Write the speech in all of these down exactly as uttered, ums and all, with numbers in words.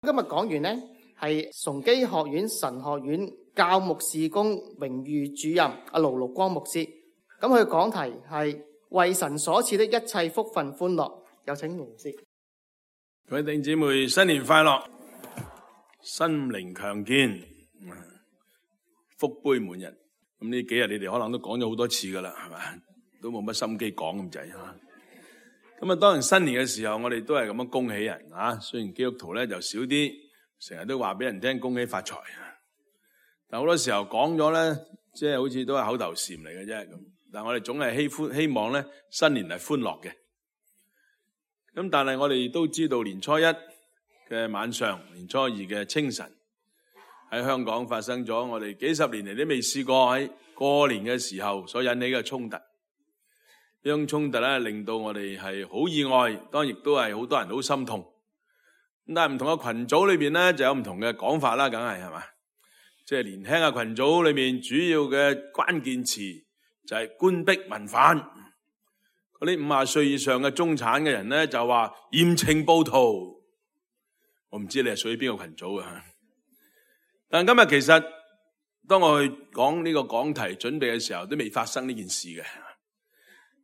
今日講完呢，係崇基學院神學院教牧事工榮譽主任阿盧陸光牧師。咁佢講題係為神所賜的一切福分歡樂。有請盧牧師。各位弟兄姊妹，新年快樂，心靈強健，福杯滿溢。咁呢幾日你哋可能都講咗好多次噶啦，係嘛？都冇乜心機講咁滯吓。咁啊，當然新年嘅時候，我哋都係咁樣恭喜人啊。雖然基督徒咧就少啲，成日都話俾人聽恭喜發財啊。但好多時候講咗咧，即係好似都係口頭禪嚟嘅啫。咁，但係我哋總係希歡希望咧，新年係歡樂嘅。咁但係我哋都知道年初一嘅晚上，年初二嘅清晨，喺香港發生咗我哋幾十年嚟都未試過喺過年嘅時候所引起嘅衝突。呢種衝突咧，令到我哋係好意外，當然亦都係好多人好心痛。咁但係唔同嘅群組裏邊咧，就有唔同嘅講法啦，梗係係嘛？即係年輕嘅群組裏面，主要嘅關鍵詞就係官逼民反。嗰啲五十歲以上嘅中產嘅人咧，就話嚴懲暴徒。我唔知你係屬於邊個群組啊？但今日其實當我去講呢個講題準備嘅時候，都未發生呢件事嘅。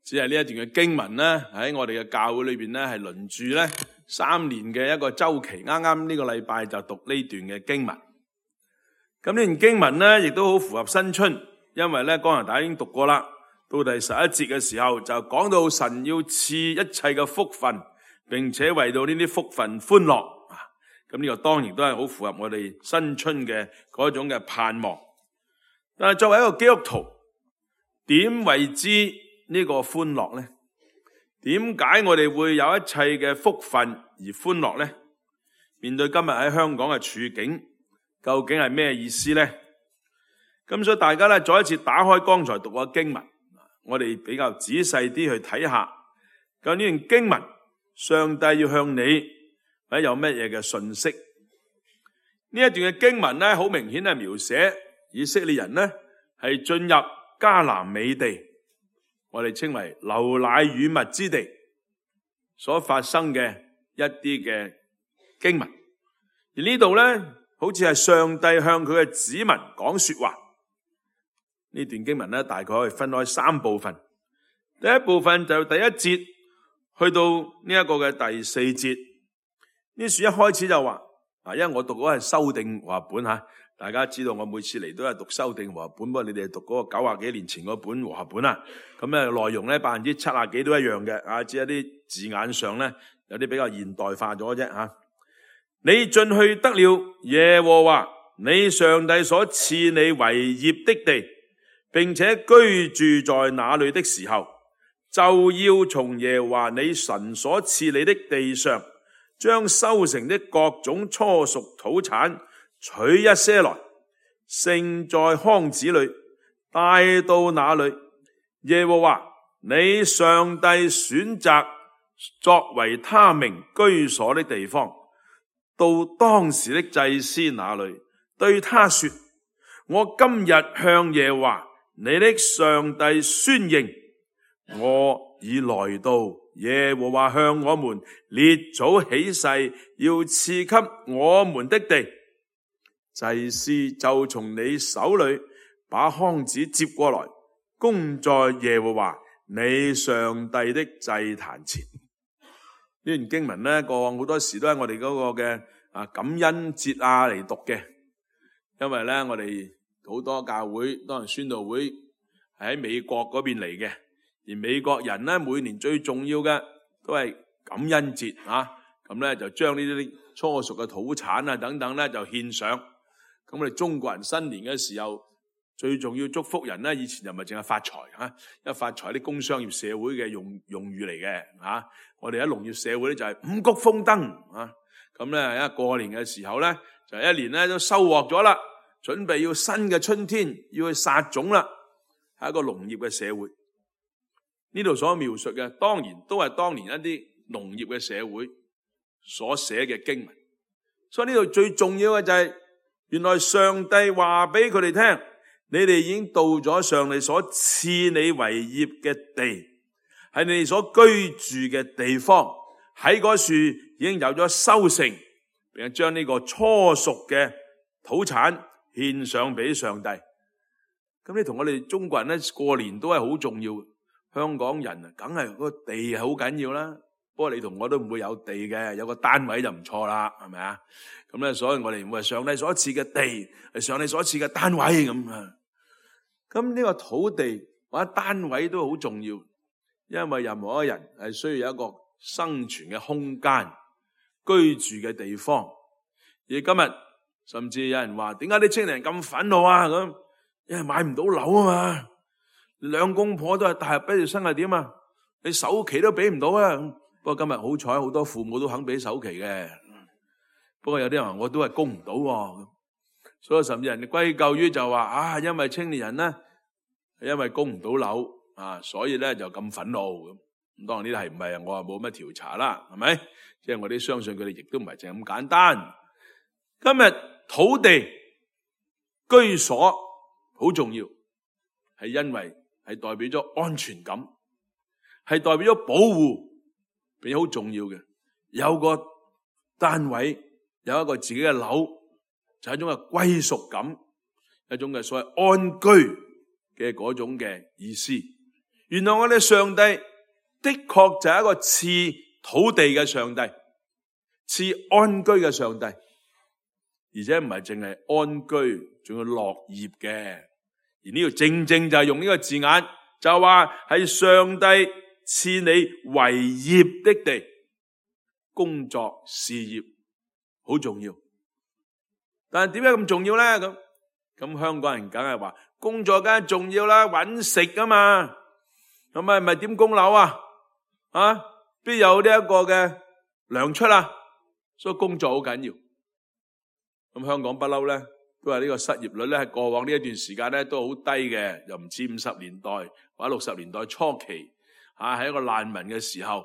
只係呢一段嘅經文咧，喺我哋嘅教會裏邊咧，係輪住咧三年嘅一個周期。啱啱呢個禮拜就讀呢段嘅經文。咁呢段經文咧，亦都好符合新春，因為咧剛才大家已經讀過啦。到第十一節嘅時候，就講到神要賜一切嘅福分，並且為到呢啲福分歡樂。咁呢個當然都係好符合我哋新春嘅嗰種嘅盼望。但係作為一個基督徒，點為之呢個歡樂呢？點解我哋會有一切嘅福分而歡樂呢？面對今日喺香港嘅處境，究竟係咩意思呢？咁所以大家咧再一次打開剛才讀嘅經文，我哋比較仔細啲去睇下，究竟呢段經文上帝要向你或者有乜嘢嘅信息？呢一段嘅經文咧，好明顯係描寫以色列人呢係進入迦南美地，我哋稱為流奶與蜜之地所發生嘅一啲嘅經文。而呢度咧，好似係上帝向佢嘅子民講說話。呢段經文咧，大概可以分開三部分。第一部分就第一節去到呢一個嘅第四節。呢書一開始就話，啊，因為我讀嗰個係修訂和合本吓，大家知道我每次嚟都係讀修訂和合本，不過你哋讀嗰個九十幾年前嗰本和合本啦。咁咧內容咧百分之七十幾都一樣嘅，啊，只係啲字眼上咧有啲比較現代化咗啫吓。你進去得了耶和華你上帝所賜你為業的地，並且居住在那裏的時候，就要從耶和華你神所賜你的地上，將收成的各種初熟土產取一些來，盛在筐子裏，帶到那裏耶和華你上帝選擇作為他名居所的地方，到當時的祭司那裏，對他說：我今日向耶和華你的上帝宣認，我已來到耶和華向我們列祖起誓要賜給我們的地。祭司就從你手裏把筐子接過來，供在耶和華你上帝的祭壇前。呢段經文呢，過往好多時都係我哋嗰個嘅啊感恩節啊嚟讀嘅，因為咧我哋好多教會當然宣道會係喺美國嗰邊嚟嘅，而美國人咧每年最重要嘅都係感恩節啊，咁咧就將呢啲初熟嘅土產啊等等咧就獻上。咁我哋中國人新年嘅時候最重要祝福人咧，以前就唔係淨係發財吓，因為發財啲工商業社會嘅用用語嚟嘅吓。我哋喺農業社會咧就係五穀豐登啊。咁咧一過年嘅時候咧，就一年咧都收穫咗啦，準備要新嘅春天要去撒種啦，係一個農業嘅社會。呢度所描述嘅當然都係當年一啲農業嘅社會所寫嘅經文。所以呢度最重要嘅就係原來上帝話俾佢哋聽，你哋已經到咗上帝所賜你為業嘅地，係你哋所居住嘅地方，喺嗰處已經有咗收成，並係將呢個初熟嘅土產獻上俾上帝。咁你同我哋中國人咧過年都係好重要。香港人啊，梗係個地係好緊要啦。不過你同我都唔會有地嘅，有個單位就唔錯啦，係咪啊？咁咧，所以我哋唔會係上帝所賜嘅地，係上帝所賜嘅單位咁啊。咁呢個土地或者單位都好重要，因為任何一個人係需要有一個生存嘅空間、居住嘅地方。而今日甚至有人話：點解啲青年人咁憤怒啊？咁因為買唔到樓啊嘛。兩公婆都係大學畢業生係點啊？你首期都俾唔到啊！不過今日好彩，好多父母都肯俾首期嘅。不過有啲人話我都係供唔到喎，所以甚至人哋歸咎於就話啊，因為青年人咧係因為供唔到樓啊，所以咧就咁憤怒咁。咁當然呢啲係唔係我話冇乜調查啦，係咪？即係我哋相信佢哋亦都唔係淨係咁簡單。今日土地居所好重要，係因為係代表咗安全感，係代表咗保護，並好重要嘅。有個單位，有一個自己嘅樓，就係一種嘅歸屬感，一種嘅所謂安居嘅嗰種嘅意思。原來我哋上帝的確就係一個賜土地嘅上帝，賜安居嘅上帝，而且唔係淨係安居，仲要樂業嘅。而呢度正正就係用呢個字眼，就話係上帝賜你為業的地，工作事業好重要。但係點解咁重要咧？咁咁香港人梗係話工作梗係重要啦，搵食噶嘛。咁咪咪點供樓啊？啊，邊有呢一個嘅糧出啊？所以工作好緊要。咁香港不嬲咧，都係呢個失業率咧，喺過往呢一段時間咧都好低嘅，又唔似五十年代或者六十年代初期，啊喺一個難民嘅時候，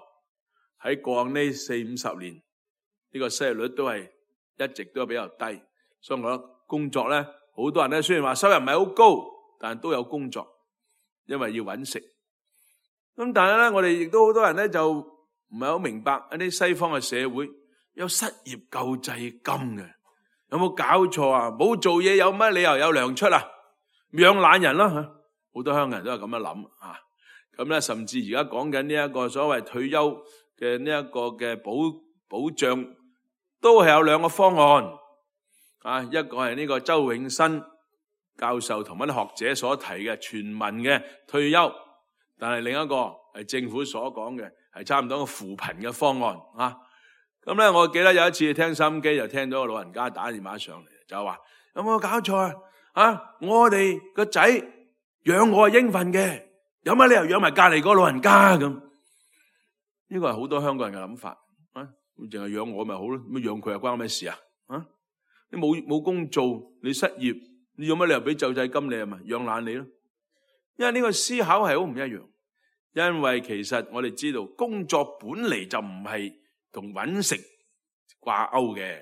喺過往呢四五十年，呢個失業率都係一直都比較低。所以我覺得工作咧，好多人咧雖然話收入唔係好高，但係都有工作，因為要搵食。咁但係咧，我哋亦都好多人咧就唔係好明白一啲西方嘅社會有失業救濟金嘅。有冇搞錯啊？冇做嘢有乜理由有糧出啊？養懶人啦吓，好多香港人都係咁樣諗啊。咁咧，甚至而家講緊呢一個所謂退休嘅呢一個嘅保保障，都係有兩個方案啊。一個係呢個周永新教授同埋啲學者所提嘅全民嘅退休，但係另一個係政府所講嘅係差唔多個扶貧嘅方案啊。咁咧，我記得有一次聽收音機，就聽到個老人家打電話上嚟，就話有冇搞錯啊？啊，我哋個仔養我係應份嘅，有乜理由養埋隔籬個老人家咁？呢個係好多香港人嘅諗法啊！咁淨係養我咪好咯，咁養佢又關我咩事啊？啊，你冇冇工做，你失業，你有乜理由俾救濟金你啊？咪養懶你咯？因為呢個思考係好唔一樣，因為其實我哋知道工作本嚟就唔係同搵食掛鈎嘅。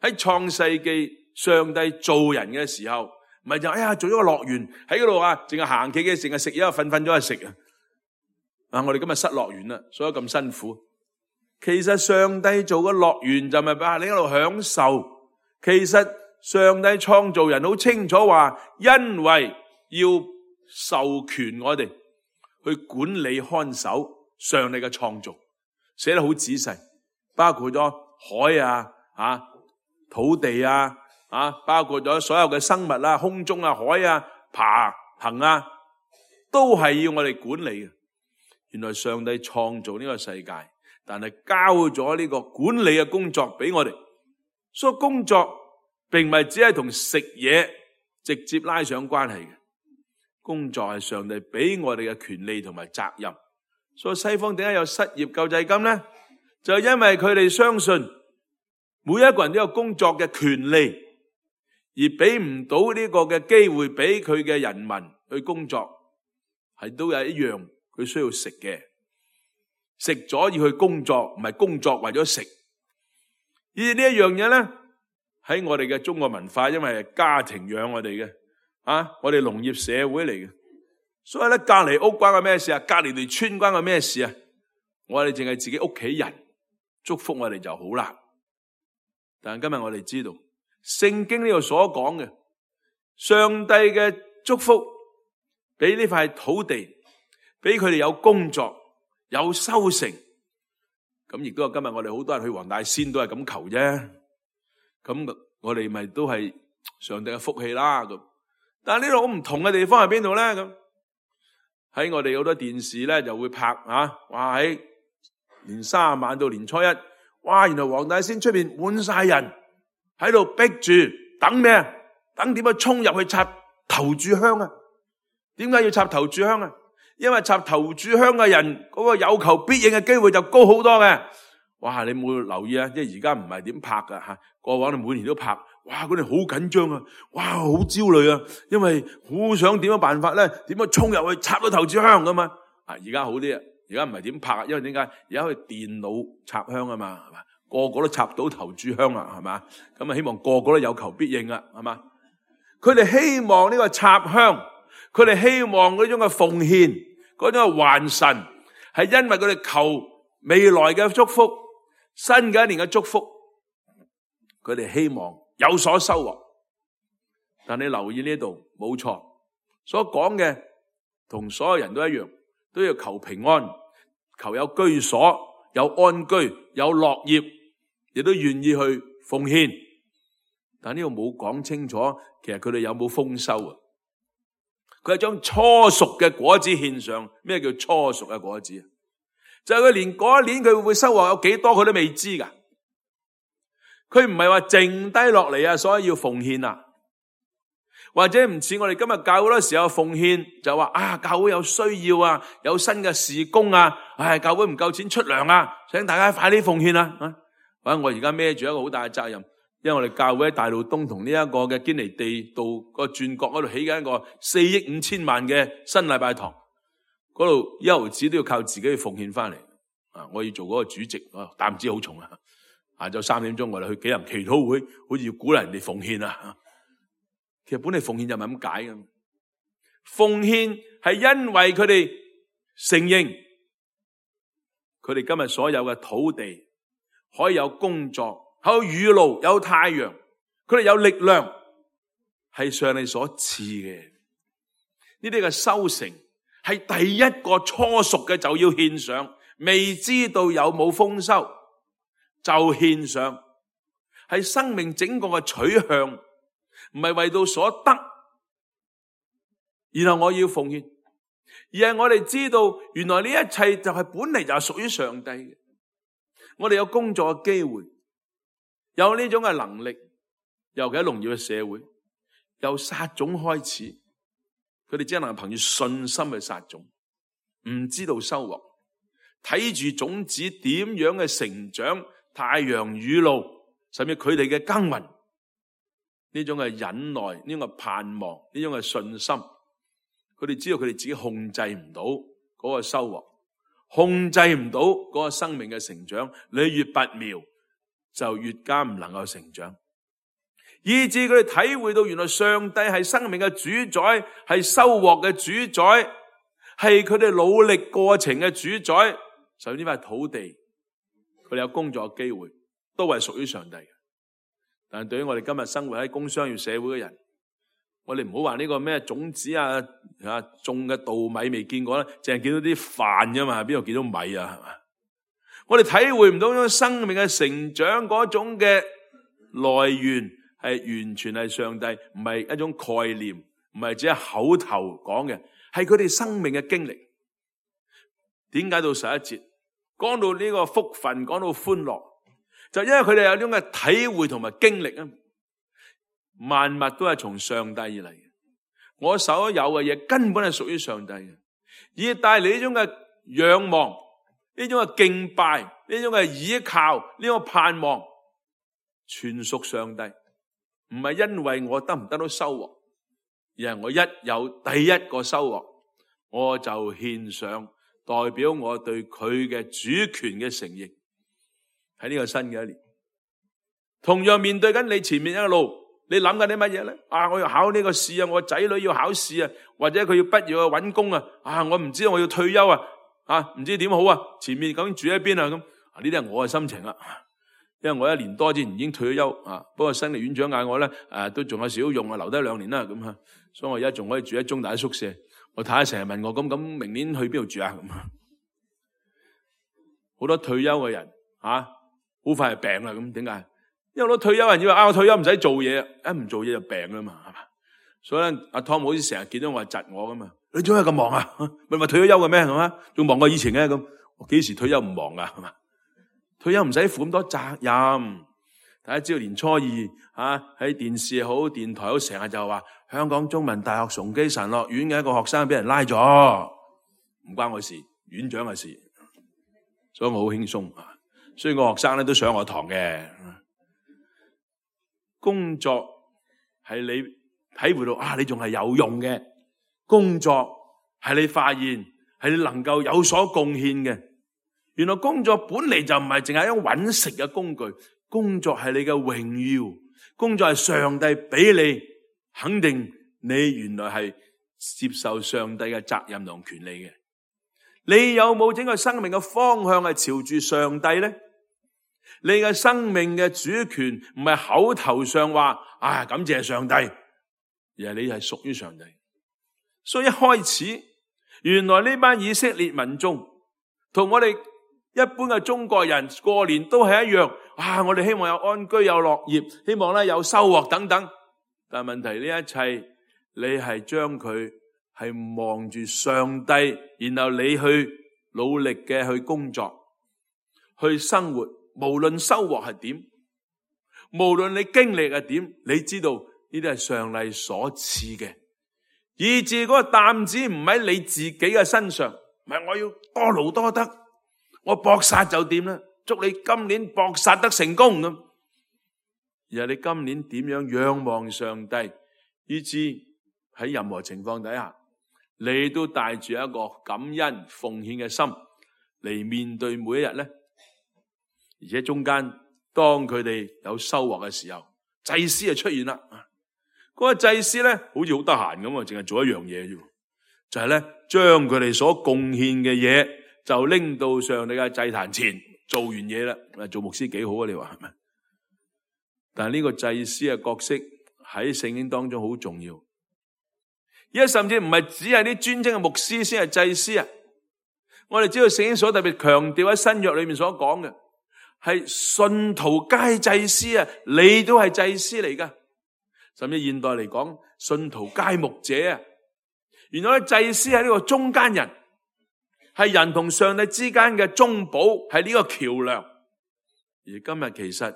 喺創世紀，上帝造人嘅時候，唔係就哎呀做咗個樂園喺嗰度啊，淨係行企嘅，淨係食嘢，瞓瞓咗去食啊！啊，我哋今日失樂園啦，所以咁辛苦。其實上帝做個樂園就咪俾你喺度享受。其實上帝創造人好清楚話，因為要授權我哋去管理看守上帝嘅創造。寫得好仔細，包括咗海啊、啊土地啊、啊包括咗所有嘅生物啊、空中啊、海啊、爬行啊，都係要我哋管理嘅。原來上帝創造呢個世界，但係交咗呢個管理嘅工作俾我哋，所以工作並唔係只係同食嘢直接拉上關係嘅。工作係上帝俾我哋嘅權利同埋責任。所以西方點解有失業救濟金呢？就因為佢哋相信每一個人都有工作嘅權利，而俾唔到呢個嘅機會俾佢嘅人民去工作，係都有一樣佢需要食嘅。食咗要去工作，唔係工作為咗食。而呢一樣嘢咧，喺我哋嘅中國文化，因為係家庭養我哋嘅，啊，我哋農業社會嚟嘅。所以咧，隔籬屋關我咩事啊？隔籬條村關我咩事啊？我哋淨係自己屋企人祝福我哋就好啦。但係今日我哋知道，聖經呢度所講嘅上帝嘅祝福，俾呢塊土地，俾佢哋有工作，有收成。咁亦都係今日我哋好多人去黃大仙都係咁求啫。咁我哋咪都係上帝嘅福氣啦。咁但係呢度好唔同嘅地方係邊度咧？咁喺我哋好多電視咧就會拍啊，哇喺年卅晚到年初一，哇原來黃大仙出邊滿晒人喺度逼住等咩啊？等點樣衝入去插頭炷香啊？點解要插頭炷香啊？因為插頭炷香嘅人嗰個有求必應嘅機會就高好多嘅。哇！你冇留意啊？即係而家唔係點拍噶吓，過往你每年都拍。哇！佢哋好緊張啊！哇，好焦慮啊！因為好想點樣辦法咧？點樣衝入去插到頭炷香噶嘛？啊！而家好啲啊！而家唔係點拍啊？因為點解？而家可以電腦插香啊嘛，係嘛？個個都插到頭炷香啊，係嘛？咁啊，希望個個都有求必應啊，係嘛？佢哋希望呢個插香，佢哋希望嗰種嘅奉獻，嗰種嘅還神，係因為佢哋求未來嘅祝福，新嘅一年嘅祝福，佢哋希望有所收穫。但你留意呢度，冇錯，所講嘅同所有人都一樣，都要求平安，求有居所，有安居，有樂業，亦都願意去奉獻。但呢度冇講清楚，其實佢哋有冇豐收啊？佢係將初熟嘅果子獻上。咩叫初熟嘅果子啊？就係佢連嗰一年佢會收穫有幾多，佢都未知噶。佢唔係話剩低落嚟啊，所以要奉獻啊。或者唔似我哋今日教會好多時候奉獻，就話啊教會有需要啊，有新嘅事工啊，唉教會唔夠錢出糧啊，請大家快啲奉獻啊。啊，或者我而家孭住一個好大嘅責任。因為我哋教會喺大路東同呢一個嘅堅尼地道個轉角嗰度起緊一個四億五千萬嘅新禮拜堂，嗰度一毫子都要靠自己去奉獻翻嚟。啊，我要做嗰個主席，啊擔子好重啊！下晝三點鐘我哋去紀念祈禱會，好似要鼓勵人哋奉獻啊。其實本嚟奉獻就唔係咁解嘅，奉獻係因為佢哋承認佢哋今日所有嘅土地可以有工作。有雨露，有太陽，佢哋有力量，係上帝所賜嘅。呢啲嘅收成係第一個初熟嘅就要獻上，未知道有冇豐收就獻上，係生命整個嘅取向，唔係為到所得，然後我要奉獻，而係我哋知道原來呢一切就係本嚟就係屬於上帝嘅。我哋有工作嘅機會。有呢種嘅能力，尤其喺農業嘅社會，由撒種開始，佢哋只能憑住信心去撒種，唔知道收穫，睇住種子點樣嘅成長，太陽雨露，甚至佢哋嘅耕耘，呢種嘅忍耐，呢種嘅盼望，呢種嘅信心，佢哋知道佢哋自己控制唔到嗰個收穫，控制唔到嗰個生命嘅成長，你越拔苗，就越加唔能夠成長，以致佢哋體會到原來上帝係生命嘅主宰，係收穫嘅主宰，係佢哋努力過程嘅主宰。所以呢塊土地，佢哋有工作嘅機會，都係屬於上帝嘅。但係對於我哋今日生活喺工商業社會嘅人，我哋唔好話呢個咩種子啊，啊種嘅稻米未見過咧，淨係見到啲飯啫嘛，邊度見到米啊？係嘛？我哋體會唔到嗰種生命嘅成長嗰種嘅來源係完全係上帝，唔係一種概念，唔係只係口頭講嘅，係佢哋生命嘅經歷。點解到十一節講到呢個福分，講到歡樂，就因為佢哋有呢種嘅體會同埋經歷啊！萬物都係從上帝而嚟嘅，我所有嘅嘢根本係屬於上帝嘅，而帶嚟呢種嘅仰望，呢種嘅敬拜，呢種嘅倚靠，呢種盼望，全屬上帝，唔係因為我得唔得到收穫，而係我一有第一個收穫，我就獻上，代表我對佢嘅主權嘅承認。喺呢個新嘅一年，同樣面對緊你前面一路，你諗緊啲乜嘢咧？啊，我要考呢個試啊，我仔女要考試啊，或者佢要畢業去搵工啊，啊，我唔知道我要退休啊。啊，唔知點好啊？前面究竟住喺邊啊？咁啊，呢啲係我嘅心情啦。因為我一年多之前已經退咗休啊，不過新力院長嗌我咧，誒、啊、都仲有少少用啊，留低兩年啦咁啊，所以我而家仲可以住喺中大宿舍。我太太成日問我，咁咁明年去邊度住啊？咁啊，好多退休嘅人啊，好快係病啦，咁點解？因為好多退休人以為啊，我退休唔使做嘢，一唔做嘢就病啦嘛，係嘛？所以咧，阿湯姆好似成日見到我係窒我噶嘛，你做咩咁忙啊？咪咪退咗休嘅咩？係嘛？仲忙過以前嘅咁，我幾時退休唔忙噶？係嘛？退休唔使負咁多責任。大家知道年初二啊，喺電視好、電台好，成日就話香港中文大學崇基神學院嘅一個學生俾人拉咗，唔關我事，院長嘅事，所以我好輕鬆啊。所以個學生咧都上我堂嘅。工作係你體會到啊，你仲係有用嘅。工作係你發現係你能夠有所貢獻嘅。原來工作本嚟就唔係淨係一種揾食嘅工具，工作係你嘅榮耀，工作係上帝俾你肯定你原來係接受上帝嘅責任同權利嘅。你有冇整個生命嘅方向係朝住上帝呢？你嘅生命嘅主權唔係口頭上話啊感謝上帝，而係你係屬於上帝。所以一開始原來呢班以色列民眾同我哋一般嘅中國人過年都係一樣，啊！我哋希望有安居有樂業，希望咧有收穫等等。但係問題呢一切，你係將佢係望住上帝，然後你去努力嘅去工作，去生活，無論收穫係點，無論你經歷係點，你知道呢啲係上帝所賜嘅，以致嗰個擔子唔喺你自己嘅身上，唔係我要多勞多得。我搏殺就掂啦，祝你今年搏殺得成功咁。而係你今年點樣仰望上帝，以致喺任何情況底下，你都帶住一個感恩奉獻嘅心嚟面對每一日咧。而且中間當佢哋有收穫嘅時候，祭司就出現啦。嗰個祭司咧好似好得閒咁啊，淨係做一樣嘢啫，就係咧將佢哋所貢獻嘅嘢，就拎到上帝嘅祭壇前，做完嘢啦。做牧師幾好啊？你話係咪？但係呢個祭司嘅角色喺聖經當中好重要，而家甚至唔係只係啲專職嘅牧師先係祭司啊！我哋知道聖經所特別強調喺新約裏面所講嘅係信徒皆祭司啊，你都係祭司嚟噶。甚至現代嚟講，信徒皆牧者啊！原來祭司係呢個中間人。係人同上帝之間嘅中保，係呢個橋樑。而今日其實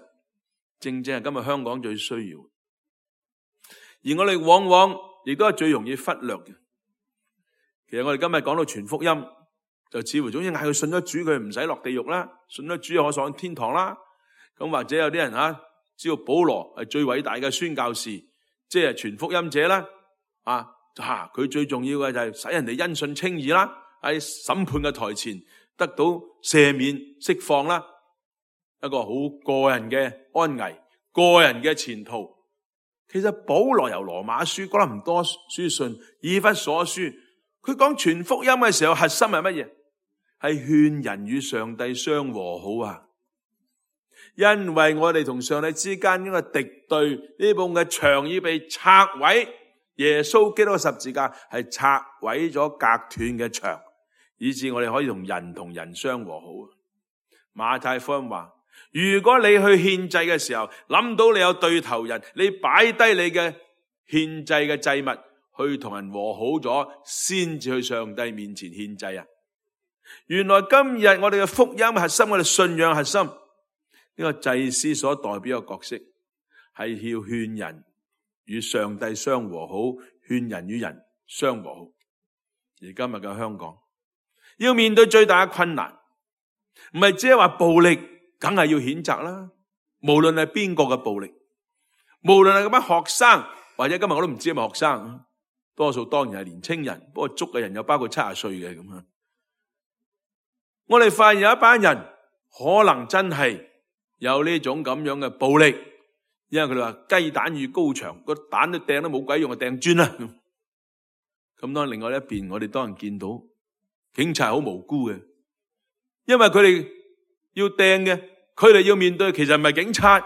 正正係今日香港最需要，而我哋往往亦都係最容易忽略嘅。其實我哋今日講到傳福音，就似乎總之嗌佢信咗主，佢唔使落地獄啦，信咗主可上天堂啦。咁或者有啲人吓知道保羅係最偉大嘅宣教士，即係傳福音者啦。啊，吓佢最重要嘅就係使人哋因信稱義啦。喺審判嘅台前得到赦免釋放啦，一個好個人嘅安危，個人嘅前途。其實保羅由羅馬書、哥林多書信、以弗所書，佢講傳福音嘅時候，核心係乜嘢？係勸人與上帝相和好啊！因為我哋同上帝之間呢個敵對，呢部嘅牆已被拆毀，耶穌基督嘅十字架係拆毀咗隔斷嘅牆，以致我哋可以同人同人相和好。馬太福音話，如果你去獻祭嘅時候，諗到你有對頭人，你擺低你嘅獻祭嘅祭物，去同人和好咗，先至去上帝面前獻祭啊！原來今日我哋嘅福音核心，我哋信仰核心，呢個祭司所代表嘅角色，係要勸人與上帝相和好，勸人與人相和好。而今日嘅香港，要面對最大嘅困難，唔係只係話暴力，梗係要譴責啦。無論係邊個嘅暴力，無論係咁樣學生，或者今日我都唔知係咪學生，多數當然係年青人，不過捉嘅人又包括七十歲嘅咁樣。我哋發現有一班人可能真係有呢種咁樣嘅暴力，因為佢哋話雞蛋與高牆，個蛋都掟都冇鬼用，就掟磚啦。咁當然另外一邊，我哋當然見到警察好無辜嘅，因為佢哋要掟嘅佢哋要面對其實唔係警察，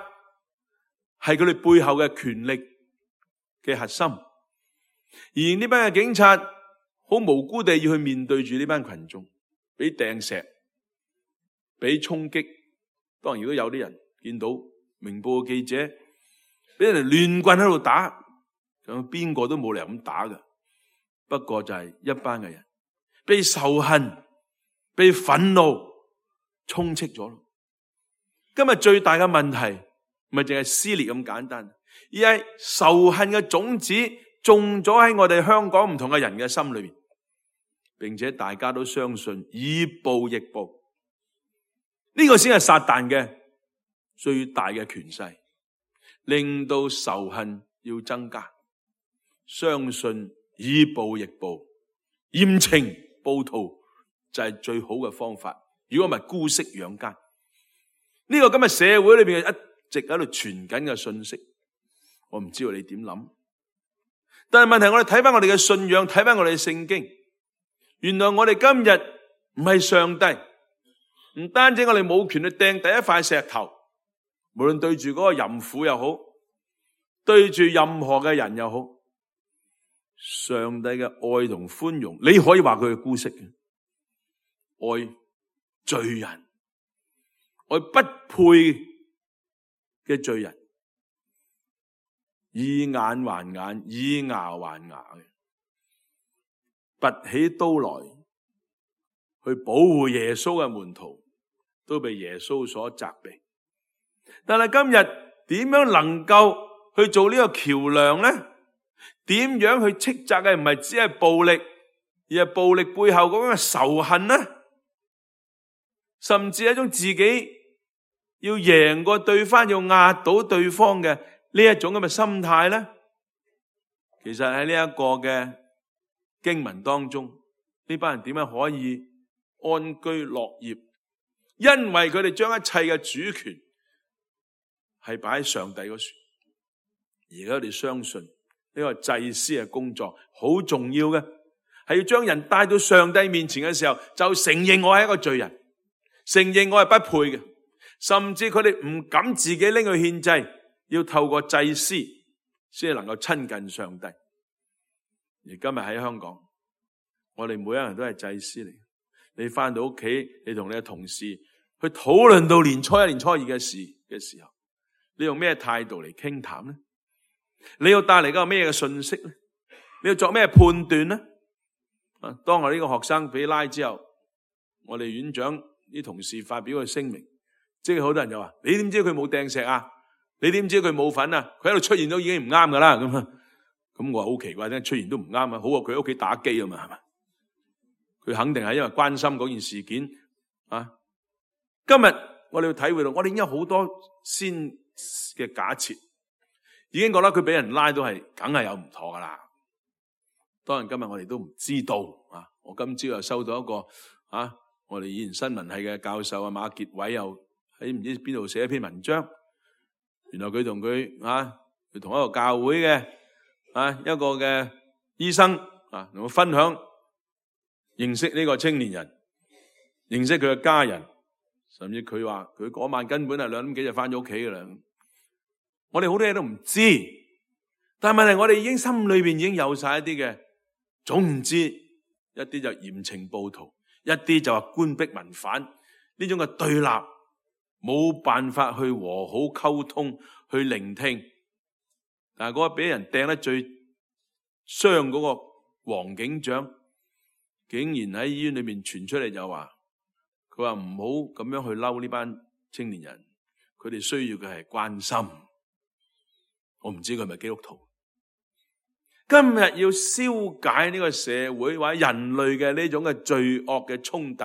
係佢哋背後嘅權力嘅核心。而呢班嘅警察好無辜地要去面對住呢班群眾，俾掟石，俾衝擊。當然如果有啲人見到明報嘅記者俾人哋亂棍喺度打，咁邊個都冇理由咁打㗎。不過就係一班嘅人被仇恨、被憤怒充斥咗。今日最大嘅問題唔係淨係撕裂咁簡單，而係仇恨嘅種子種咗喺我哋香港唔同嘅人嘅心裏面，並且大家都相信以暴易暴，呢個先係撒旦嘅最大嘅權勢，令到仇恨要增加，相信以暴易暴，嚴懲暴徒就係最好嘅方法。如果唔係姑息養奸，呢個今日社會裏邊一直喺度傳緊嘅信息，我唔知道你點諗。但係問題，我哋睇翻我哋嘅信仰，睇翻我哋嘅聖經，原來我哋今日唔係上帝，唔單止我哋冇權去掟第一塊石頭，無論對住嗰個淫婦又好，對住任何嘅人又好，上帝嘅愛同寬容，你可以話佢係姑息嘅，愛罪人，愛不配嘅罪人，以眼還眼，以牙還牙嘅，拔起刀來去保護耶穌嘅門徒，都被耶穌所責備。但係今日點樣能夠去做呢個橋梁呢？點樣去斥責嘅唔係只係暴力，而係暴力背後嗰種嘅仇恨呢？甚至係一種自己要贏過對方，要壓倒對方嘅呢一種咁嘅心態呢？其實喺呢一個嘅經文當中，呢班人點樣可以安居樂業？因為佢哋將一切嘅主權係擺喺上帝嗰處，而家佢哋相信呢個祭司嘅工作好重要嘅，係要將人帶到上帝面前嘅時候，就承認我係一個罪人，承認我係不配嘅，甚至佢哋唔敢自己拎去獻祭，要透過祭司先能夠親近上帝。而今日喺香港，我哋每一個人都係祭司嚟。你翻到屋企，你同你嘅同事去討論到年初一、年初二嘅事嘅時候，你用咩態度嚟傾談呢？你要帶嚟個咩嘅信息呢？你要作咩判斷呢？啊，當我呢個學生被拉之後，我哋院長啲同事發表個聲明，即係好多人就話：你點知佢冇掟石啊？你點知佢冇份啊？佢喺度出現都已經唔啱噶啦。咁啊，咁我話好奇怪，點解出現都唔啱啊？好過佢喺屋企打機啊嘛，係嘛？佢肯定係因為關心嗰件事件啊。今日我哋要體會到，我哋已經有好多先嘅假設，已經覺得佢俾人拉都係梗係有唔妥噶啦。當然今日我哋都唔知道啊。我今朝又收到一個啊，我哋以前新聞系嘅教授啊馬傑偉又喺唔知邊度寫一篇文章，原來佢同佢啊，佢同一個教會嘅啊一個嘅醫生啊，同我分享認識呢個青年人，認識佢嘅家人，甚至佢話佢嗰晚根本係兩點幾就翻咗屋企噶啦。我哋好多嘢都唔知，但係問題我哋已經心裏邊已經有晒一啲嘅，總之一啲就嚴懲暴徒，一啲就話官逼民反，呢種嘅對立冇辦法去和好溝通，去聆聽。但係嗰個俾人掟得最傷嗰個黃警長，竟然喺醫院裏面傳出嚟就話，佢話唔好咁樣去嬲呢班青年人，佢哋需要嘅係關心。我唔知佢係咪基督徒。今日要消解呢個社會或者人類嘅呢種嘅罪惡嘅衝突，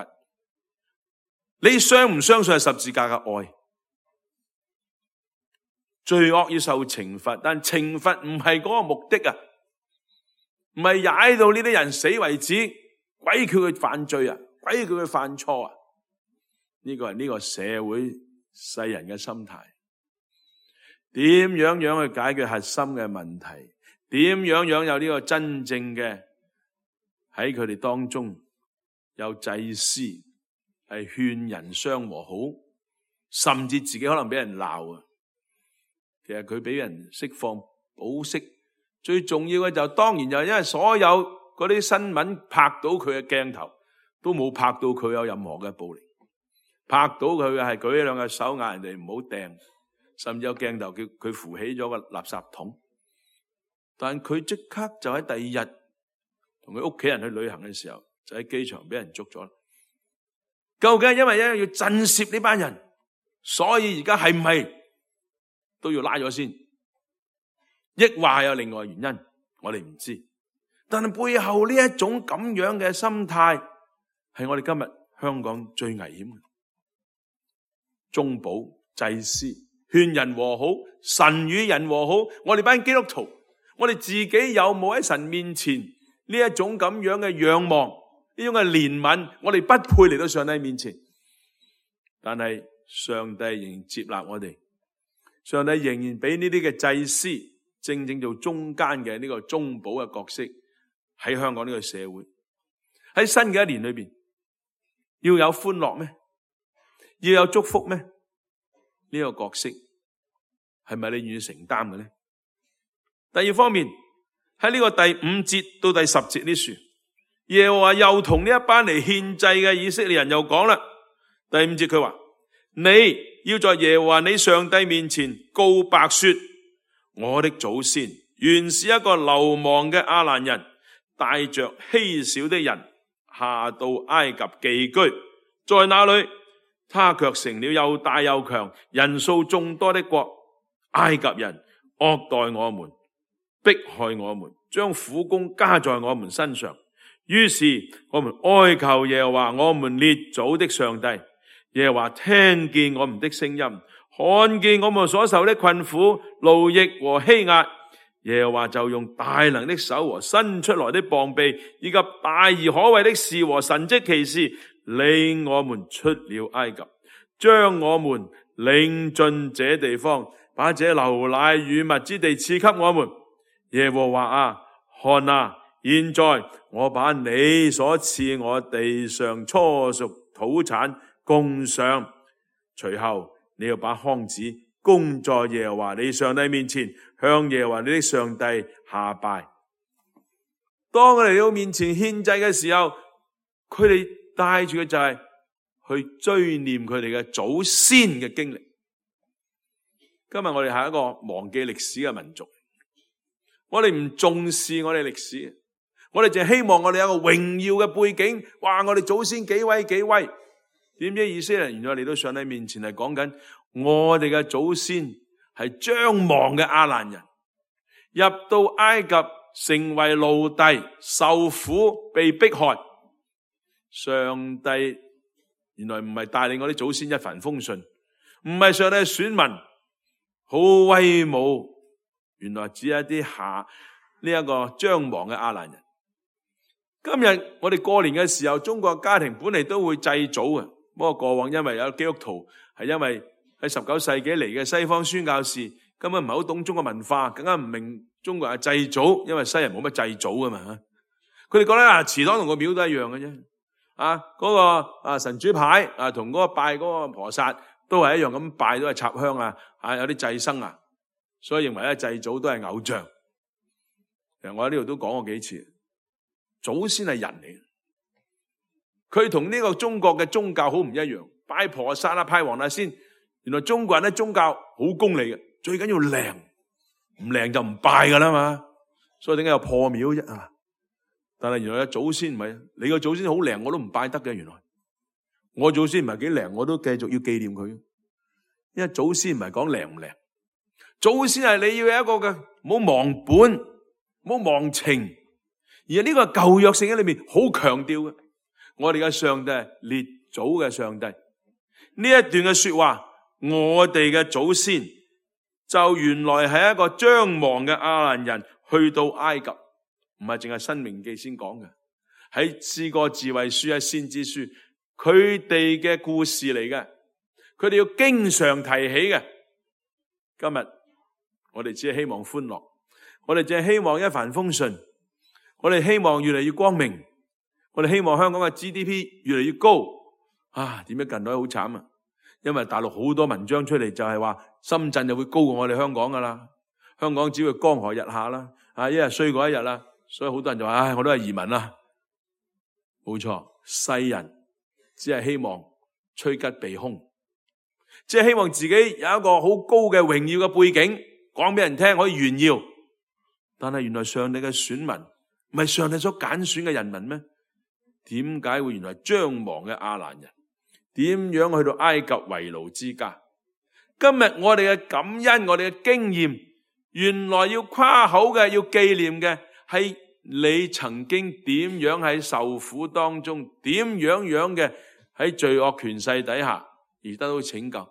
你相唔相信係十字架嘅愛？罪惡要受懲罰，但懲罰唔係嗰個目的啊，唔係踩到呢啲人死為止，鬼叫佢犯罪啊，鬼叫佢犯錯啊。呢個係呢個社會世人嘅心態。點樣樣去解決核心嘅問題？點樣樣有呢個真正嘅喺佢哋當中有祭司係勸人相和好，甚至自己可能俾人鬧啊。其實佢俾人釋放保釋，最重要嘅就當然就係因為所有嗰啲新聞拍到佢嘅鏡頭都冇拍到佢有任何嘅暴力，拍到佢嘅係舉起兩隻手嗌人哋唔好掟，甚至有鏡頭叫佢扶起咗個垃圾桶。但佢即刻就喺第二日同佢屋企人去旅行嘅時候，就喺機場俾人捉咗。究竟係因為咧要震懾呢班人，所以而家係唔係都要拉咗先？抑或係有另外原因，我哋唔知。但係背後呢一種咁樣嘅心態，係我哋今日香港最危險嘅。中保祭司勸人和好，神與人和好，我哋班基督徒，我哋自己有冇喺神面前呢一種咁樣嘅仰望，呢種嘅憐憫？我哋不配嚟到上帝面前，但係上帝仍然接納我哋，上帝仍然俾呢啲嘅祭司正正做中間嘅呢個中保嘅角色，喺香港呢個社會，喺新嘅一年裏邊，要有歡樂咩？要有祝福咩？呢個角色係咪你願意承擔嘅呢？第二方面，喺呢個第五節到第十節呢處，耶和華又同呢一班嚟獻祭嘅以色列人又講啦。第五節佢話：你要在耶和華你上帝面前告白說，我的祖先原是一個流亡嘅亞蘭人，帶着稀少的人下到埃及寄居，在那裏他卻成了又大又強、人數眾多的國。埃及人惡待我們，迫害我們，將苦工加在我們身上。於是我們哀求耶和華我們列祖的上帝。耶和華聽見我們的聲音，看見我們所受的困苦、勞役和欺壓。耶和華就用大能的手和伸出來的膀臂，以及大而可畏的事和神蹟奇事，領我們出了埃及，將我們領進這地方，把這流奶與蜜之地賜給我們。耶和華啊，看啊，現在我把你所賜我地上初熟土產供上，隨後你要把筐子供在耶和華你上帝面前，向耶和華你的上帝下拜。當我哋嚟到面前獻祭嘅時候，佢哋帶住嘅就係去追念佢哋嘅祖先嘅經歷。今日我哋係一個忘記歷史嘅民族，我哋唔重視我哋歷史，我哋淨係希望我哋有一個榮耀嘅背景。哇！我哋祖先幾威幾威，點知以色列人原來嚟到上帝面前係講緊我哋嘅祖先係將亡嘅亞蘭人，入到埃及成為奴隸，受苦被迫害。上帝原來唔係帶領我啲祖先一帆風順，唔係上帝嘅選民好威武，原來只係一啲下呢一個將亡嘅亞蘭人。今日我哋過年嘅時候，中國家庭本嚟都會祭祖嘅，不過過往因為有基督徒係因為喺十九世紀嚟嘅西方宣教士根本唔係好懂中國文化，更加唔明中國係祭祖，因為西人冇乜祭祖噶嘛。佢哋覺得啊，祠堂同個廟都一樣嘅啫。啊，嗰個啊神主牌啊，同嗰個拜嗰個菩薩都係一樣咁拜，都係插香啊，啊有啲祭牲啊，所以認為咧祭祖都係偶像。其實我喺呢度都講過幾次，祖先係人嚟，佢同呢個中國嘅宗教好唔一樣。拜菩薩啊，拜黃大仙，原來中國人咧宗教好功利嘅，最緊要靈，唔靈就唔拜噶啦嘛。所以點解有破廟啫啊？但係原來嘅祖先唔係，你個祖先好靈我都唔拜得嘅。原來我祖先唔係幾靈，我都繼續要紀念佢，因為祖先唔係講靈唔靈，祖先係你要有一個嘅，唔好忘本，唔好忘情。而呢個舊約聖經裏面好強調嘅，我哋嘅上帝係列祖嘅上帝。呢一段嘅說話，我哋嘅祖先就原來係一個將亡嘅亞蘭人去到埃及，唔係淨係申命記先講嘅，喺詩歌智慧書、喺先知書，佢哋嘅故事嚟嘅，佢哋要經常提起嘅。今日我哋只係希望歡樂，我哋只係希望一帆風順，我哋希望越嚟越光明，我哋希望香港嘅 G D P 越嚟越高。啊，點解近來好慘啊？因為大陸好多文章出嚟就係話深圳就會高過我哋香港噶啦，香港只會江河日下啦，啊一日衰過一日啦，所以好多人就話唉，我都係移民啦。冇錯，世人只係希望趨吉避凶，只係希望自己有一個好高嘅榮耀嘅背景，講俾人聽可以炫耀。但係原來上帝嘅選民唔係上帝所揀選嘅人民咩？點解會原來將亡嘅亞蘭人？點樣去到埃及為奴之家？今日我哋嘅感恩，我哋嘅經驗，原來要誇口嘅，要紀念嘅係你曾經點樣喺受苦當中，點樣樣嘅喺罪惡權勢底下而得到拯救。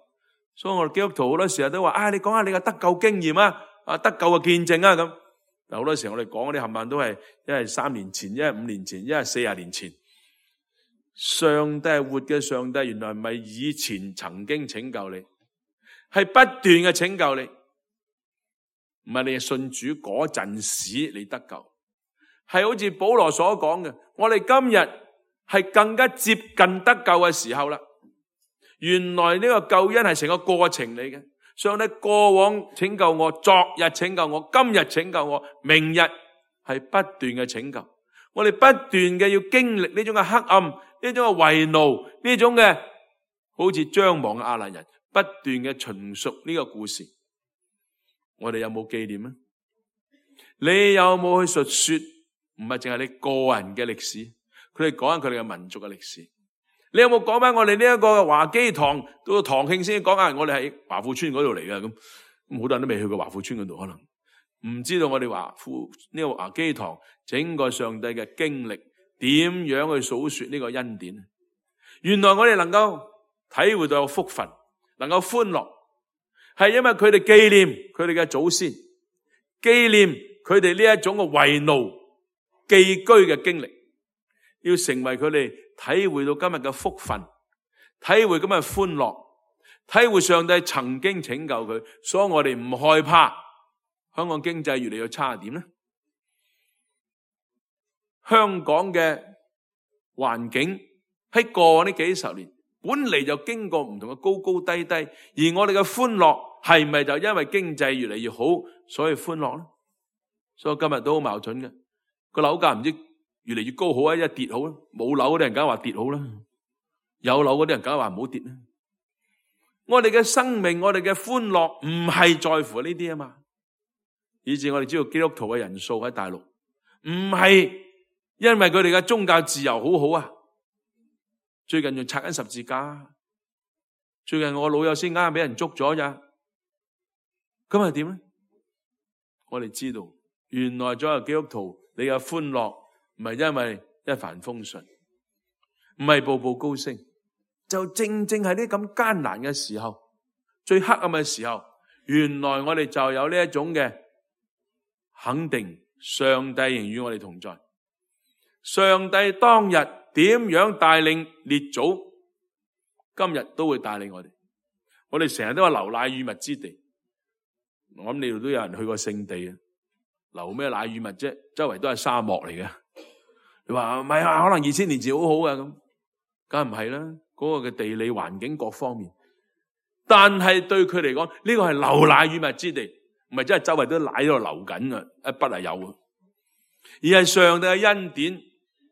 所以我哋基督徒好多時候都話：啊，你講下你嘅得救經驗啊，啊得救嘅見證啊咁。但好多時候我哋講嗰啲冚唪唥都係一係三年前，一係五年前，一係四十年前。上帝係活嘅上帝，原來唔係以前曾經拯救你，係不斷嘅拯救你。唔係你係信主嗰陣時你得救，係好似保羅所講嘅，我哋今日係更加接近得救嘅時候啦。原來呢個救恩係成個過程嚟嘅，上帝過往拯救我，昨日拯救我，今日拯救我，明日係不斷嘅拯救。我哋不斷嘅要經歷呢種嘅黑暗，呢種嘅為奴，呢種嘅好似將亡嘅亞蘭人，不斷嘅陳述呢個故事。我哋有冇紀念啊？你有冇去述說？唔係淨係你個人嘅歷史，佢哋講緊佢哋嘅民族嘅歷史。你有冇講翻我哋呢一個華基堂到堂慶先講下？我哋喺華富村嗰度嚟嘅，咁咁好多人都未去過華富村嗰度，可能唔知道我哋華富呢個華基堂整個上帝嘅經歷，點樣去數說呢個恩典。原來我哋能夠體會到有福分，能夠歡樂，係因為佢哋紀念佢哋嘅祖先，紀念佢哋呢一種嘅為奴寄居嘅經歷，要成為佢哋體會到今日嘅福分，體會今日嘅歡樂，體會上帝曾經拯救佢，所以我哋唔害怕香港經濟越嚟越差點咧。香港嘅環境喺過往呢幾十年本嚟就經過唔同嘅高高低低，而我哋嘅歡樂係咪就因為經濟越嚟越好所以歡樂咧？所以今日都好矛盾嘅，個樓價唔知越嚟越高好啊，一跌好啦，冇樓嗰啲人梗係話跌好啦，有樓嗰啲人梗係話唔好跌啦。我哋嘅生命，我哋嘅歡樂唔係在乎呢啲啊嘛，以至我哋知道基督徒嘅人數喺大陸唔係因為佢哋嘅宗教自由好好啊。最近仲拆緊十字架，最近我老友先啱啱俾人捉咗咋，咁係點咧？我哋知道原來作為基督徒，你嘅歡樂唔係因為一帆風順，唔係步步高升，就正正係呢咁艱難嘅時候，最黑暗嘅時候，原來我哋就有呢一種嘅肯定，上帝仍與我哋同在。上帝當日點樣帶領列祖，今日都會帶領我哋。我哋成日都話流奶與蜜之地，我諗你哋都有人去過聖地啊，流咩奶與蜜啫？周圍都係沙漠嚟嘅。你話唔係啊？可能二千年前好好嘅咁，梗係唔係啦。嗰個嘅地理環境各方面，但係對佢嚟講，呢個係流奶與蜜之地，唔係真係周圍都奶喺度流緊啊！一筆係有啊，而係上帝嘅恩典。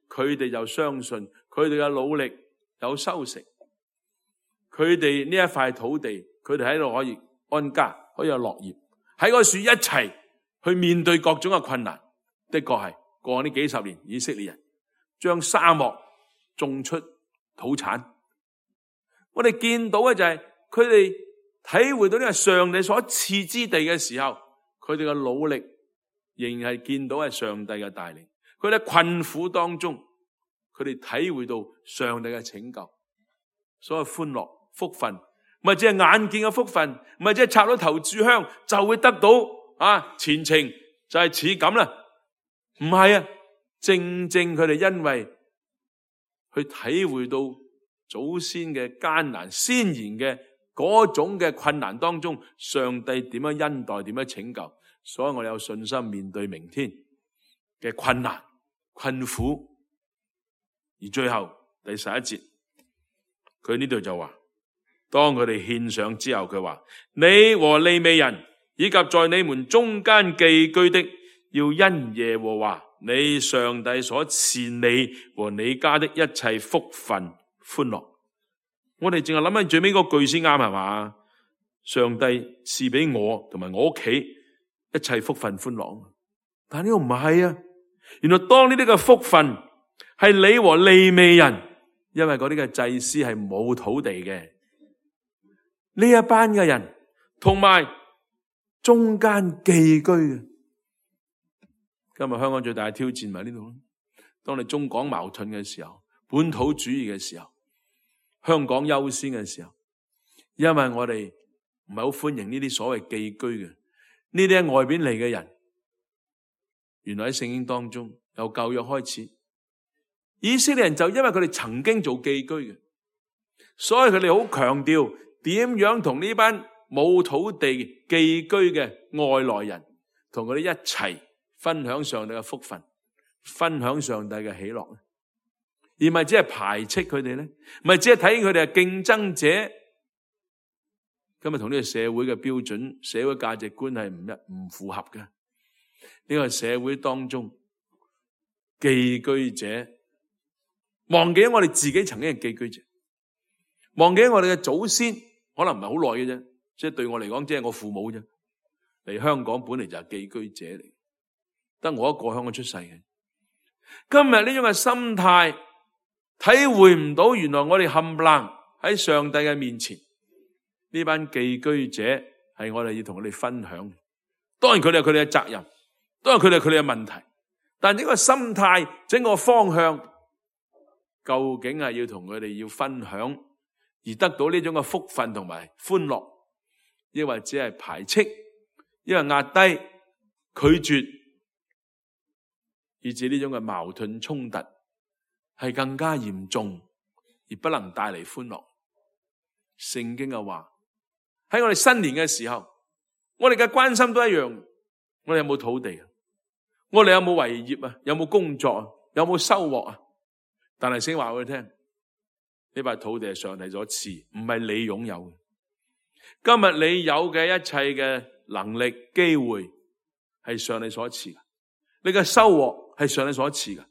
佢哋就相信佢哋嘅努力有收成，佢哋呢一塊土地，佢哋喺度可以安家，可以有樂業，喺嗰樹一齊去面對各種嘅困難。的確係過呢幾十年，以色列人將沙漠種出土產。我哋見到嘅就係佢哋體會到呢個上帝所賜之地嘅時候，佢哋嘅努力仍然係見到係上帝嘅帶領。佢哋喺困苦當中，佢哋體會到上帝嘅拯救，所謂歡樂福分，唔係只係眼見嘅福分，唔係只係插到頭炷香就會得到啊前程就係似咁啦，唔係啊，正正佢哋因為去體會到祖先嘅艱難，先賢嘅嗰種嘅困難當中，上帝點樣恩待，點樣拯救，所以我哋有信心面對明天嘅困難困苦。而最後第十一節，佢呢度就話當佢哋獻上之後，佢話：你和利未人以及在你們中間寄居的，要因耶和華你上帝所賜你和你家的一切福分歡樂。我哋淨係諗緊最尾嗰句先啱係嘛？上帝賜俾我同埋我屋企一切福分歡樂。但呢個唔係啊！原來當呢啲嘅福分係你和利未人，因為嗰啲嘅祭司係冇土地嘅，呢一班嘅人同埋中間寄居嘅。今日香港最大嘅挑戰咪喺呢度。當你中港矛盾嘅時候，本土主義嘅時候，香港優先嘅時候，因為我哋唔係好歡迎呢啲所謂寄居嘅，呢啲喺外邊嚟嘅人。原來喺聖經當中由舊約開始，以色列人就因為佢哋曾經做寄居嘅，所以佢哋好強調點樣同呢班冇土地寄居嘅外來人同佢哋一齊分享上帝嘅福分，分享上帝嘅喜樂，而唔係只係排斥佢哋咧，唔係只係睇佢哋係競爭者。今日同呢個社會嘅標準、社會價值觀係唔一唔符合嘅。呢個社會當中寄居者忘記咗我哋自己曾經係寄居者，忘記咗我哋嘅祖先可能唔係好耐嘅啫，即係對我嚟講，即係我父母啫。嚟香港本嚟就係寄居者嚟，得我一個香港出世嘅。今日呢種嘅心態，體會唔到原來我哋冚唪唥喺上帝嘅面前，呢班寄居者係我哋要同佢哋分享。當然佢哋有佢哋嘅責任。都係佢哋佢哋嘅問題，但整個心態、整個方向，究竟係要同佢哋要分享，而得到呢種嘅福分同埋歡樂，抑或只係排斥，抑或壓低、拒絕，以致呢種嘅矛盾衝突係更加嚴重，而不能帶嚟歡樂。聖經嘅話喺我哋新年嘅時候，我哋嘅關心都一樣，我哋有冇土地啊？我哋有冇為業啊？有冇工作啊？有冇收穫啊？但係先話俾佢聽，呢塊土地係上帝所賜，唔係你擁有嘅。今日你有嘅一切嘅能力、機會係上帝所賜嘅，你嘅收穫係上帝所賜嘅，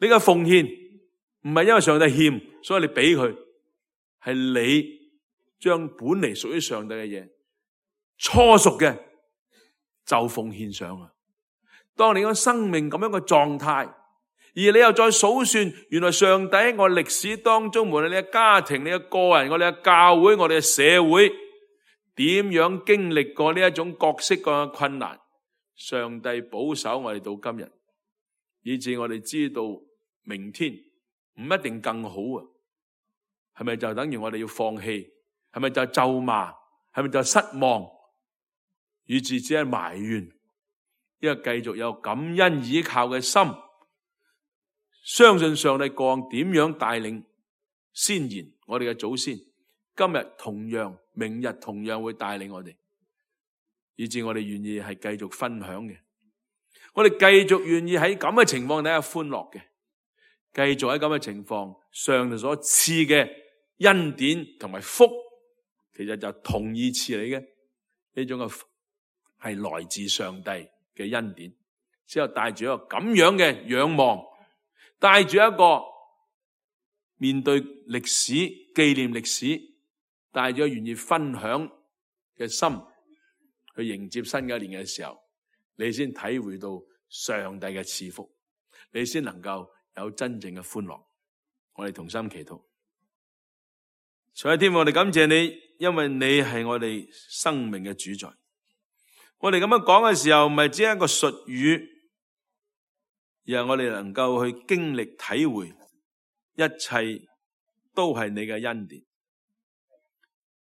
你嘅奉獻唔係因為上帝欠，所以你俾佢，係你將本嚟屬於上帝嘅嘢初熟嘅就奉獻上啊！當你個生命咁樣嘅狀態，而你又再數算，原來上帝喺我歷史當中，無論你嘅家庭、你嘅個人、我哋嘅教會、我哋嘅社會，點樣經歷過呢一種各式各樣嘅困難，上帝保守我哋到今日，以致我哋知道明天唔一定更好啊！係咪就等於我哋要放棄？係咪就咒罵？係咪就失望？以致只係埋怨？因為繼續有感恩倚靠嘅心，相信上帝過往點樣帶領先賢我哋嘅祖先，今日同樣，明日同樣會帶領我哋，以致我哋願意係繼續分享嘅，我哋繼續願意喺咁嘅情況底下歡樂嘅，繼續喺咁嘅情況，上帝所賜嘅恩典同埋福，其實就同義詞嚟嘅，呢種嘅福係來自上帝嘅恩典，之後帶住一個咁樣嘅仰望，帶住一個面對歷史、紀念歷史，帶咗願意分享嘅心去迎接新嘅一年嘅時候，你先體會到上帝嘅賜福，你先能夠有真正嘅歡樂。我哋同心祈禱。所以天父，我哋感謝你，因為你係我哋生命嘅主宰。我哋咁樣講嘅時候，唔係只係一個術語，而係我哋能夠去經歷體會，一切都係你嘅恩典。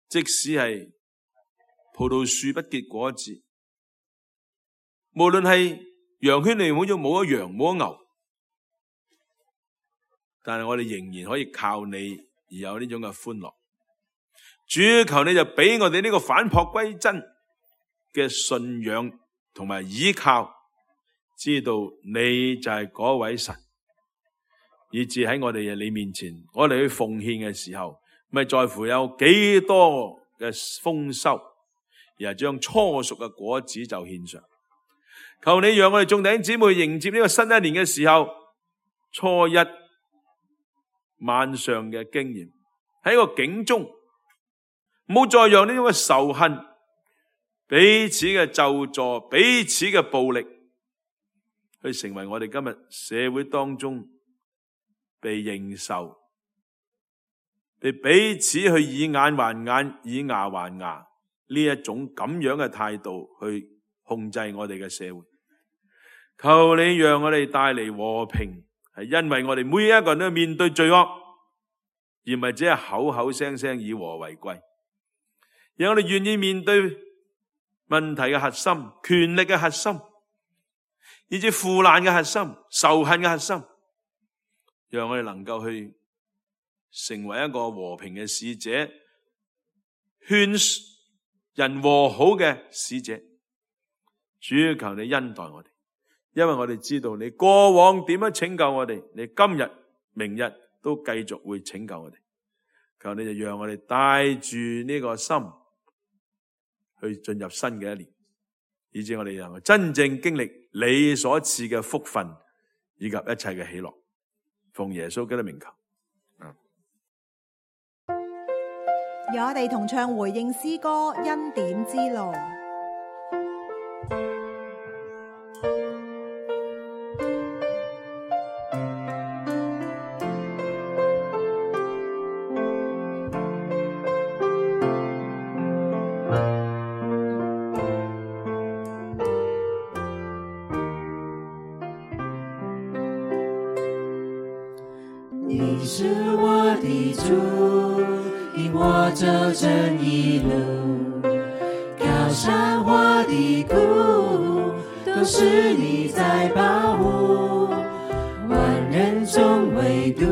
即使係葡萄樹不結果子，無論係羊圈裏好似冇咗羊冇咗牛，但係我哋仍然可以靠你而有呢種嘅歡樂。主，求你就俾我哋呢個返璞歸真嘅信仰同埋依靠，知道你就係嗰位神，以致喺我哋你面前，我哋去奉獻嘅時候，唔唔係在乎有幾多嘅豐收，而係將初熟嘅果子就獻上。求你讓我哋眾弟兄姊妹迎接呢個新一年嘅時候，初一晚上嘅經驗喺個境中，唔好再讓呢種嘅仇恨、彼此嘅咒詛、彼此嘅暴力，去成為我哋今日社會當中被認受、被彼此去以眼還眼、以牙還牙呢一種咁樣嘅態度去控制我哋嘅社會。求你讓我哋帶嚟和平，係因為我哋每一個人都面對罪惡，而唔係只係口口聲聲以和為貴。讓我哋願意面對問題嘅核心、權力嘅核心，以至腐爛嘅核心、仇恨嘅核心，讓我哋能夠去成為一個和平嘅使者，勸人和好嘅使者。主要求你恩待我哋，因為我哋知道你過往點樣拯救我哋，你今日、明日都繼續會拯救我哋。求你就讓我哋帶住呢個心去進入新嘅一年，以致我哋能夠真正經歷你所賜嘅福分以及一切嘅喜樂。奉耶穌基督名求。讓我哋同唱回應詩歌《恩典之路》。你是我的主，引我走正義路，高山或低谷，都是你在保護。萬人中唯獨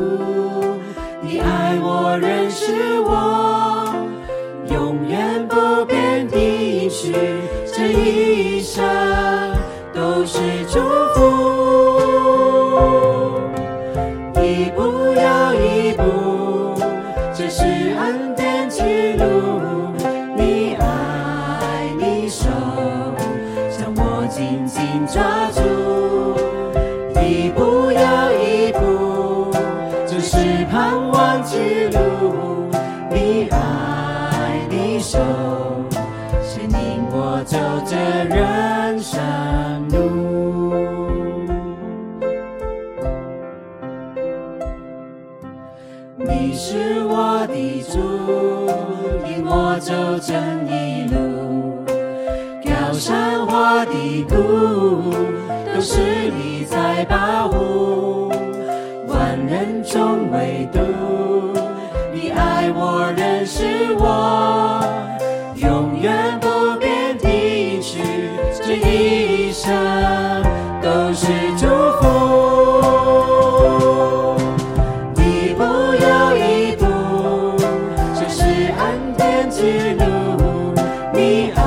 你愛我，認識我，永遠不變的應許，這一生都是祝福。一步又一步，這是恩典之路，你愛你手將我緊緊抓住。一步又一步，這是盼望之路，你愛你手牽引我走這人生路。你是我的主，引我走正義路，高山或低谷，都是你在保護。萬人中唯獨你愛我，認識我，永遠不變的應許，這一生都是祝福。之路，你愛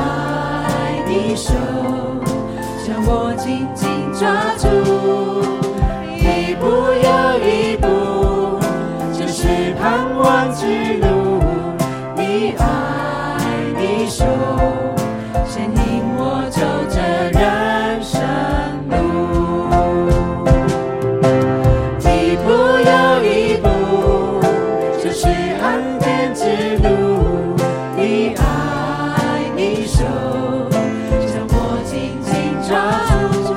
你手將我緊緊抓住。一步又一步，這是盼望之路，你愛你手牽引我走這人生路。一步又一步，這是恩典之路，你愛你手將我緊緊抓住。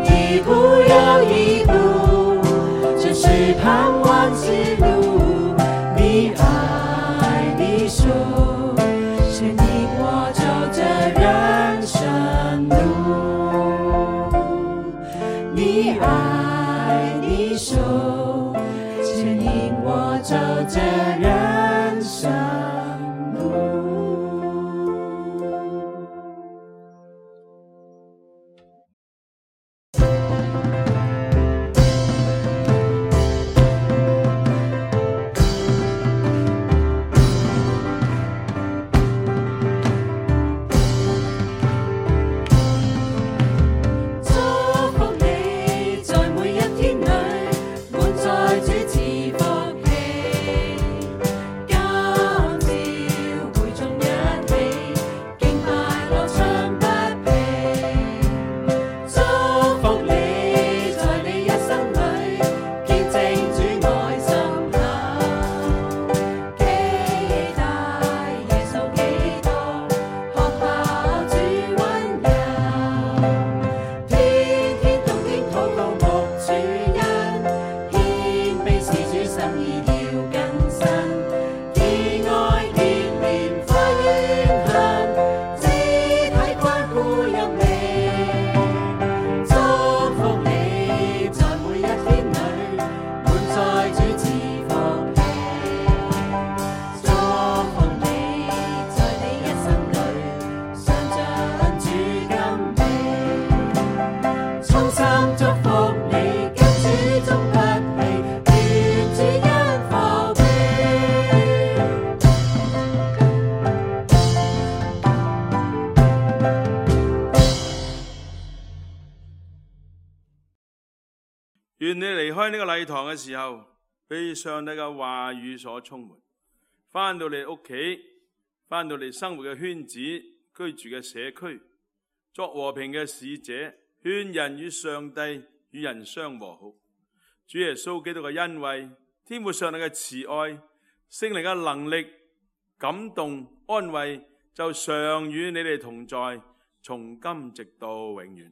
一步又一步，這是盼望之路，你愛你手牽引我走這人生路。你愛你手牽引我走這人生路。祝福你在每一天裏，滿載主賜福氣。願你離開呢個禮堂嘅時候，被上帝嘅話語所充滿，返到你屋企，返到你生活嘅圈子，居住嘅社區，作和平嘅使者，勸人與上帝與人相和好。主耶穌基督嘅恩惠，天父上帝嘅慈愛，聖靈嘅能力，感動安慰，就常與你哋同在，從今直到永遠。